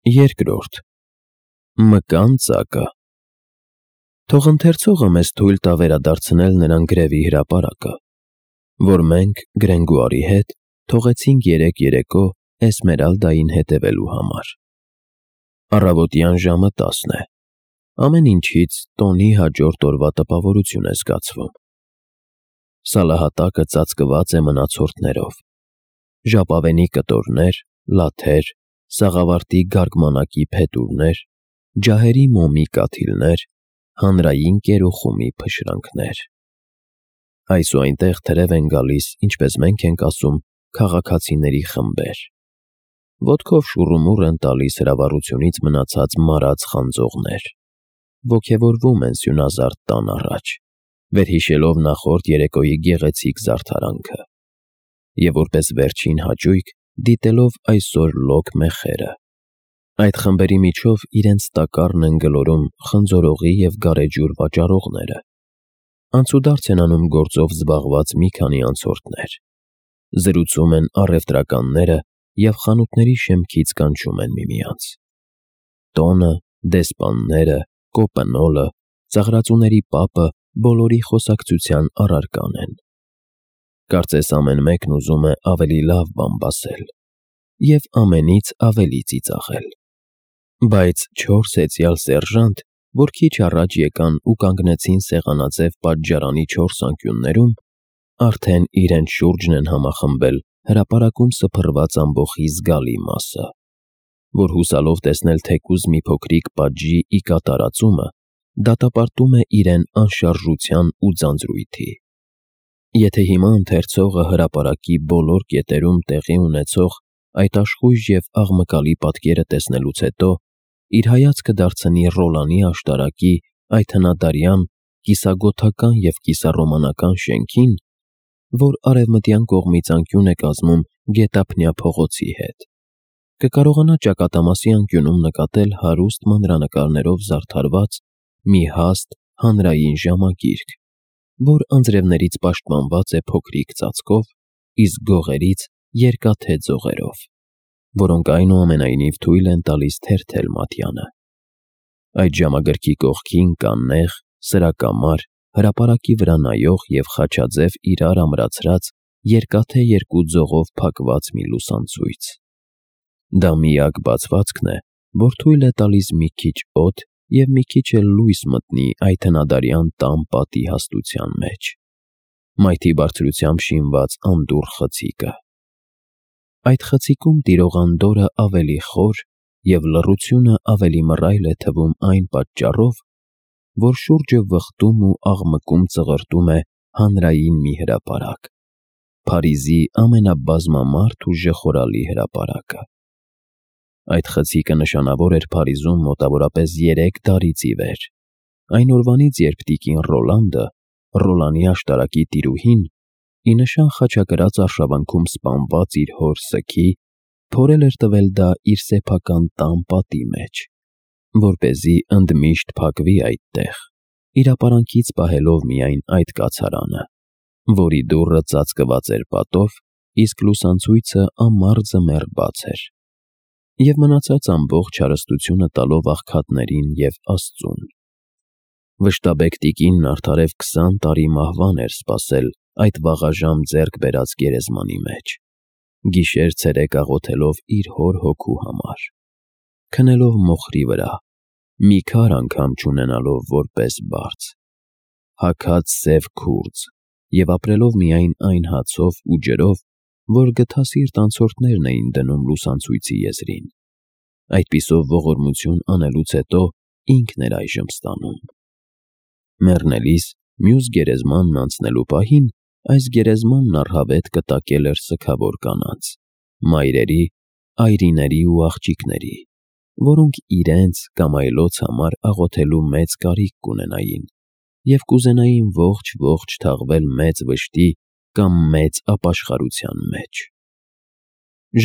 Երկրորդ Մկան ծակը Թող ընթերցողը մեզ թույլ տա վերադարձնել նրան գրևի հրապարակը, որ մենք Գրենգուարի հետ թողեցինք երեկ երեկո Էսմերալդային հետևելու համար։ Առավոտյան ժամը 10 է։ Ամեն ինչից տոնի հաջորդ օրվա տպավորություն է զգացվում։ Սալահատակը ծածկված է մնացորդներով։ Ժապավենի կտորներ, լաթեր, սաղավարտի գարգմանակի փետուրներ, ջահերի մոմի կաթիլներ, հանրային կերոխումի փշրանքներ։ Այս ու այնտեղ թրև են գալիս, ինչպես մենք ենք ասում, քաղաքացիների խմբեր։ Ոտքով շուռումուռ են տալիս հրավառությունից մնացած մարած խանձողներ։ Ոգևորվում են սյունազարդ տան առաջ, վերհիշելով նախորդ երեկոյի գեղեցիկ զարդարանքը, և որպես վերջին հաճույք դիտելով այսօր լոկ մեխերը։ Այդ խմբերի միջով իրենց տակառն են գլորում խնձորողի և գարեջուր վաճառողները։ Անցուդարձ են անում գործով զբաղված մի քանի անցորդներ։ Զրուցում են առևտրականները և խանութների շեմքից կանչում են միմյանց։ Տոնը, դեսպանները, կոպնոլը, ծաղրածուների պապը բոլորի խոսակցության առարկան են։ Կարծես ամեն մեկն ուզում է ավելի լավ բան բասել և ամենից ավելի ծիծաղել։ Բայց 4 հեծյալ սերժանտ, որ քիչ առաջ եկան ու կանգնեցին սեղանաձև պատժարանի 4 անկյուններում, արդեն իրենց շուրջն են համախմբել հրապարակում սփռված ամբոխի զգալի մասը, որ հուսալով տեսնել թեկուզ մի փոքրիկ պատժի ի կատարածումը, դատապարտում է իրեն անշարժության ու ձանձրույթի։ Եթե հիմա ընթերցողը հրապարակի բոլոր կետերում տեղի ունեցող այդ աշխույժ և աղմկալի պատկերը տեսնելուց հետո իր հայացքը դարձնի Ռոլանի աշտարակի այդ հնադարյան, կիսագոթական և կիսառոմանական շենքին, որ արևմտյան կողմից անկյուն է կազմում Գետափնյա փողոցի հետ, կկարողանա ճակատամասի անկյունում նկատել հարուստ մանրանկարներով զարդարված մի հաստ հանրային ժամագիրք, որ անձրևներից պաշտպանված է փոքրիկ ծածկով, իսկ գողերից երկաթե ձողերով, որոնք այնուամենայնիվ թույլ են տալիս թերթել մատյանը։ Այդ ժամագրքի կողքին կա նեղ, սրակամար, հրապարակի վրա նայող և խաչաձև իրար ամրացրած երկաթե երկու ձողով փակված մի լուսանցույց։ Դա միակ բացվածքն է, որ թույլ է տալիս մի քիչ օդ և մի քիչ էլ լույս մտնի այդ հնադարյան տան պատի հաստության մեջ։ Մայթի բարձրությամբ շինված անդուռ խցիկը։ Այդ խցիկում տիրող անդորրը ավելի խոր և լռությունը ավելի մռայլ է թվում այն պատճառով, որ շուրջը վխտում ու աղմկում ծղրտում է հանրային մի հրապարակ, Փարիզի ամենաբազմամարդ ու ժխորալի հրապարակը։ Այդ խցիկը նշանավոր էր Փարիզում մոտավորապես 3 դարից ի վեր, այն օրվանից, երբ տիկին Ռոլանդը, Ռոլանի աշտարակի տիրուհին, ի նշան խաչակրաց արշավանքում սպանված իր հոր սքի, փորել էր տվել դա իր սեփական տան պատի մեջ, որպեսզի ընդմիշտ փակվի այդտեղ, իր ապարանքից պահելով միայն այդ կացարանը, որի դուռը ծածկված էր պատով, իսկ լուսանցույցը ամառձմեռ բաց էր, և մնացած ամբողջ հարստությունը տալով աղքատներին և Աստծուն։ Վշտաբեկ տիկինն արդարև 20 տարի մահվան էր սպասել այդ վաղաժամ ձեռք բերած գերեզմանի մեջ, գիշեր-ցերեկ աղոթելով իր հոր հոգու համար, քնելով մոխրի վրա, մի քար անգամ չունենալով որպես բարձ, հագած սև քուրձ և ապրելով միայն այն հացով ու ջրով, որ գթասիրտ անցորդներն էին դնում լուսանցույցի եզրին։ Այդպիսով ողորմություն անելուց հետո ինքն էր այժմ ստանում։ Մեռնելիս մյուս գերեզմանն անցնելու պահին այս գերեզմանն առհավետ կտակել էր սգավոր կանանց, մայրերի, այրիների ու աղջիկների, որոնք իրենց կամ այլոց համար աղոթելու մեծ կարիք կունենային և կուզենային ողջ թաղվել մեծ վշտի կամ մեծ ապաշխարության մեջ։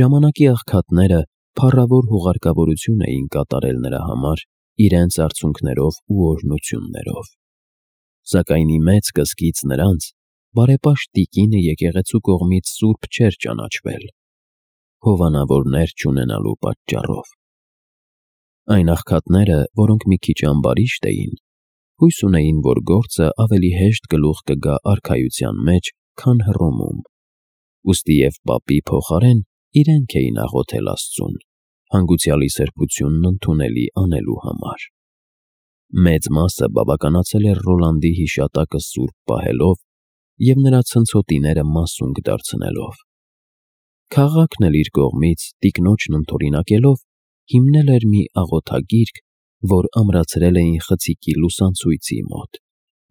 Ժամանակի աղքատները փառավոր հուղարկավորություն էին կատարել նրա համար իրենց արցունքներով ու օրհնություններով։ Սակայն ի մեծ կսկիծ նրանց բարեպաշտ տիկինը եկեղեցու կողմից սուրբ չէր ճանաչվել, հովանավորներ չունենալու պատճառով։ Այն աղքատները, որոնք մի քիչ ամբարիշտ էին, հույս ունեին, որ գործը ավելի հեշտ գլուխ կգա արքայության մեջ, քան Հռոմում։ Ուստի և պապի փոխարեն իրենք էին աղոթել Աստծուն, հանգուցյալի սրբությունն ընդունելի անելու համար։ Մեծ մասը բավականացել էր Ռոլանդի հիշատակը սուրբ պահելով և նրա ցնցոտիները մասունք դարձնելով։ Քաղաքն էլ իր կողմից տիկնոջն ընդօրինակելով հիմնել էր մի աղոթագիրք, որ ամրացրել էին խցիկի լուսանցույցի մոտ,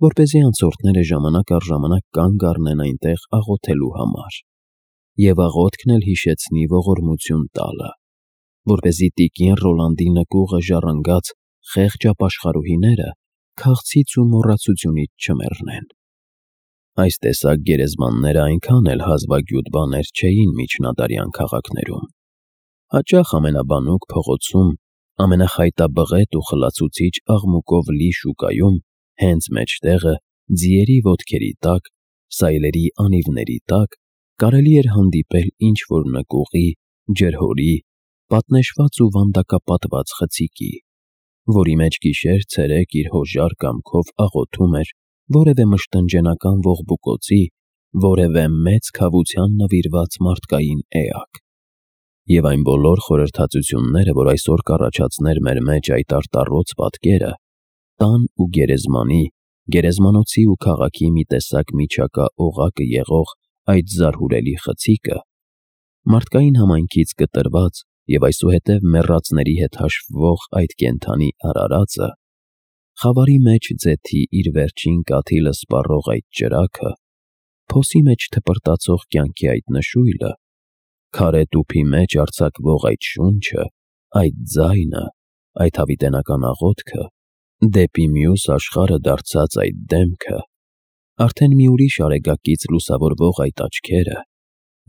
որպեսզի անցորդները ժամանակ առ ժամանակ կանգ առնեն այնտեղ աղոթելու համար, և աղոթքն էլ հիշեցնի ողորմություն տալը, որպեսզի տիկին Ռոլանդի նկուղը ժառանգած խեղճ ապաշխարուհիները քաղցից ու մոռացությունից չմեռնեն։ Այս տեսակ գերեզմանները այնքան էլ հազվագյուտ բաներ չէին միջնադարյան քաղաքներում։ Հաճախ ամենաբանուկ փողոցում, ամենախայտաբղետ ու խլացուցիչ աղմուկով լի շուկայում, հենց մեջտեղը, ձիերի ոտքերի տակ, սայլերի անիվների տակ, կարելի էր հանդիպել ինչ-որ նկուղի, ջրհորի, պատնեշված ու վանդակապատված խցիկի, որի մեջ գիշեր-ցերեկ իր հոժար կամքով աղոթում էր որևէ մշտնջենական ողբուկոցի, որևէ մեծ քավության նվիրված մարդկային էակ։ Եվ այն բոլոր խորհրդածությունները, որ այսօր կառաջացներ մեր մեջ այդ արտառոց պատկերը, տան ու գերեզմանի, գերեզմանոցի ու քաղաքի մի տեսակ միջակա օղակը եղող այդ զարհուրելի խցիկը, մարդկային համայնքից կտրված և այսուհետև մեռածների հետ հաշվվող այդ կենդանի արարածը, խավարի մեջ ձեթի իր վերջին կաթիլը սպառող այդ ճրագը, փոսի մեջ թպրտացող կյանքի այդ նշույլը, քարե տուփի մեջ արձակվող այդ շունչը, այդ ձայնը, այդ հավիտենական աղոթքը, դեպի մյուս աշխարհը դարձած այդ դեմքը, արդեն մի ուրիշ արեգակից լուսավորվող այդ աչքերը,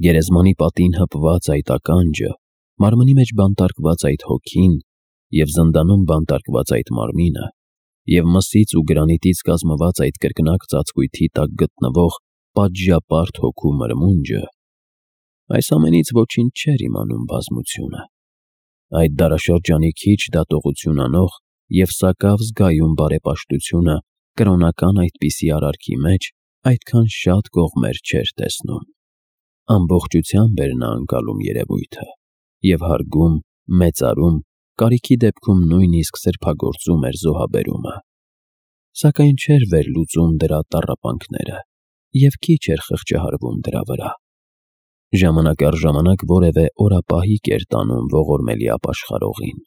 գերեզմանի պատին հպված այդ ականջը, մարմնի մեջ բանտարկված այդ հոգին և զնդանում բանտարկված այդ մարմինը, և մսից ու գրանիտից կազմված այդ կրկնակ ծածկույթի տակ գտնվող պատժապարտ հոգու մրմունջը, այս ամենից ոչինչ չէր իմանում բազմությունը։ Այդ դարաշրջանի քիչ դատողություն անող և սակավ զգայուն բարեպաշտությունը կրոնական այդպիսի արարքի մեջ այդքան շատ կողմեր չէր տեսնում։ Ամբողջությամբ էր նա ընկալում երևույթը և հարգում, մեծարում, կարիքի դեպքում նույնիսկ սրբագործում էր զոհաբերումը, սակայն չէր վերլուծում դրա տառապանքները և քիչ էր խղճահարվում դրա վրա։ Ժամանակ առ ժամանակ որևէ օրապահիկ էր տանում ողորմելի ապաշխարողին,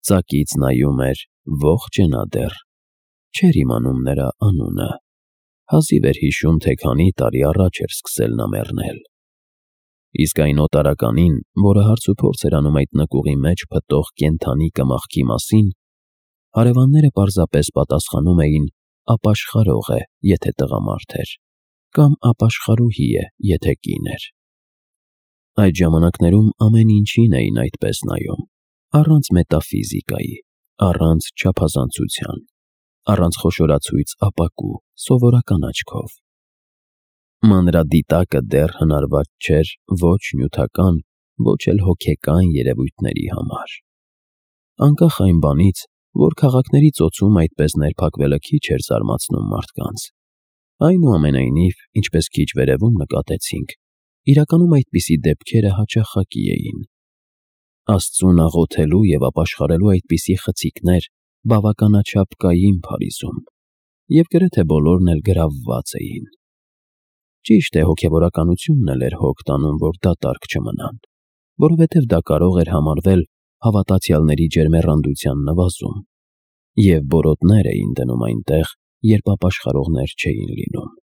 ծակից նայում էր, ողջ է նա դեռ, չէր իմանում նրա անունը, հազիվ էր հիշում, թե քանի տարի առաջ էր սկսել նա մեռնել։ Իսկ այն օտարականին, որը հարց ու փորձ էր անում այդ նկուղի մեջ փտող կենդանի կմախքի մասին, հարևանները պարզապես պատասխանում էին ապաշխարող է, եթե տղամարդ էր, կամ ապաշխարուհի է, եթե կին էր։ Այդ ժամանակներում ամեն ինչին էին այդպես նայում, առանց մետաֆիզիկայի, առանց չափազանցության, առանց խոշորացույց ապակու, սովորական աչքով։ Մանրադիտակը դեռ հնարված չէր ոչ նյութական, ոչ էլ հոգեկան երևույթների համար։ Անկախ այն բանից, որ քաղաքների ծոցում այդպես ներփակվելը քիչ էր զարմացնում մարդկանց, այնուամենայնիվ, ինչպես քիչ վերևում նկատեցինք, իրականում այդպիսի դեպքերը հաճախակի էին։ Աստծուն աղոթելու և ապաշխարելու այդպիսի խցիկներ բավականաչափ կային Փարիզում, և գրեթե բոլորն էլ գրավված էին։ Ճիշտ է, հոգևորականությունն էլ էր հոգ տանում, որ դատարկ չմնան, որովհետև դա կարող էր համարվել հավատացյալների ջերմեռանդության նվազում, և բորոտներ էին դնում այնտեղ, երբ ապաշխարողներ չէին լինում։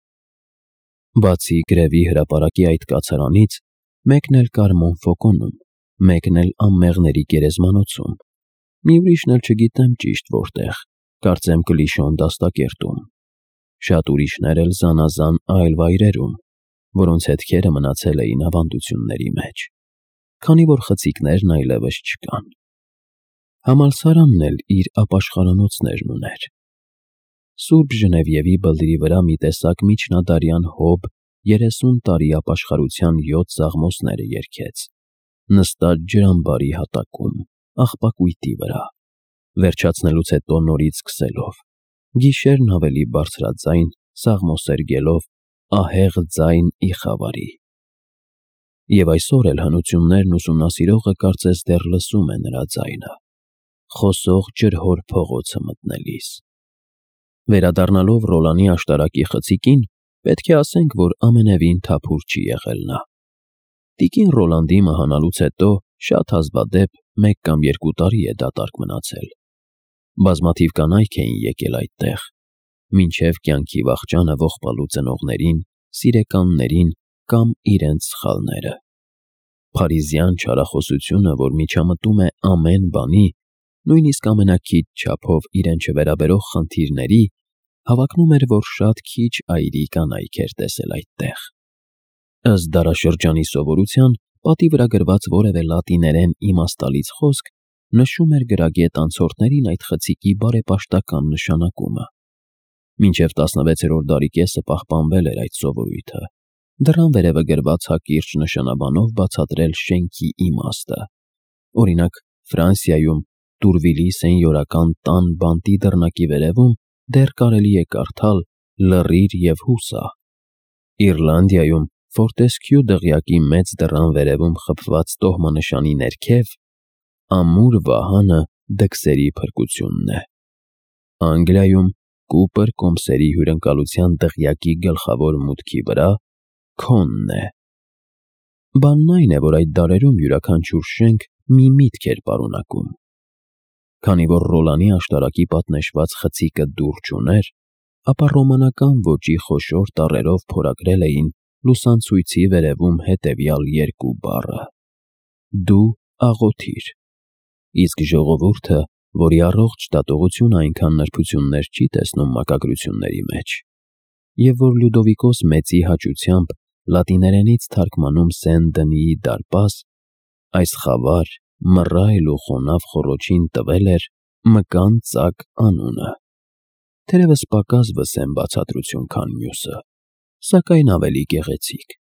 Բացի գրևի հրապարակի այդ կացարանից, մեկն էլ կար Մոնֆոկոնում, մեկն էլ անմեղների գերեզմանոցում, մի ուրիշն էլ չգիտեմ ճիշտ որտեղ, կարծեմ Կլիշոն դաստակերտում, շատ ուրիշներ էլ զանազան այլ վայրերում, որոնց հետքերը մնացել էին ավանդությունների մեջ, քանի որ խցիկներն այլևս չկան։ Համալսարանն էլ իր ապաշխարանոցներն ուներ։ Սուրբ Ժնևիևի բլրի վրա մի տեսակ միջնադարյան հոբ 30 տարի ապաշխարության 7 սաղմոսները երգեց, նստած ջրամբարի հատակում, աղբակույտի վրա, վերջացնելուց հետո նորից սկսելով, գիշերն ավելի բարձրաձայն, սաղմոսերգելով ահեղ ձայն ի խավարի։ Եվ այսօր էլ հնություններն ուսումնասիրողը կարծես դեռ լսում է նրա ձայնը, խոսող ջրհոր փողոցը մտնելիս։ Վերադառնալով Ռոլանի աշտարակի խցիկին, պետք է ասենք, որ ամենևին թափուր չի եղել նա։ Տիկին Ռոլանդի մահանալուց հետո շատ հազվադեպ 1 կամ 2 տարի է դատարկ մնացել։ Բազմաթիվ կանայք էին եկել այդտեղ, մինչև կյանքի վախճանը ողբալու ծնողներին, սիրեկաններին կամ իրենց սխալները։ Փարիզյան չարախոսությունը, որ միջամտում է ամեն բանի, նույնիսկ ամենաքիչ չափով իրեն չվերաբերող խնդիրների, հավակնում էր, որ շատ քիչ այրի կանայք էր տեսել այդտեղ։ Ըստ դարաշրջանի սովորության, պատի վրա գրված որևէ լատիներեն իմաստալից խոսք նշում էր գրագետ անցորդներին այդ խցիկի բարեպաշտական նշանակումը։ Մինչև 16-րդ դարի կեսը պահպանվել էր այդ սովորույթը, դռան վերևը գրված հակիրճ նշանաբանով բացատրել շենքի իմաստը։ Օրինակ, Ֆրանսիայում Տուրվիլի սենյորական տան բանտի դռնակի վերևում դեռ կարելի է կարդալ «Լռիր և հուսա»։ Իռլանդիայում Ֆորտեսքյու դղյակի մեծ դռան վերևում խփված տոհմանշանի ներքև «Ամուր վահանը դքսերի փրկությունն է»։ Անգլիայում Կուպեր կոմսերի հյուրընկալության դղյակի գլխավոր մուտքի վրա «Քոնն է»։ Բանն այն է, որ այդ դարերում յուրաքանչյուր շենք մի միտք էր պարունակում։ Քանի որ Ռոլանի աշտարակի պատնեշված խցիկը դուռ չուներ, ապա ռոմանական ոճի խոշոր տառերով փորագրել էին լուսանցույցի վերևում հետևյալ 2 բառը. «Դու աղոթիր», իսկ ժողովուրդը, որի առողջ դատողությունը այնքան նրբություններ չի տեսնում մակագրությունների մեջ, և որ Լյուդովիկոս Մեծի հաճությամբ լատիներենից թարգմանում Սեն-Դնիի դարպաս, այս խավար, մռայլ ու խոնավ խոռոչին տվել էր Մկան ծակ անունը, թերևս պակաս վսեմ բացատրություն, քան մյուսը, սակայն ավելի գեղեցիկ։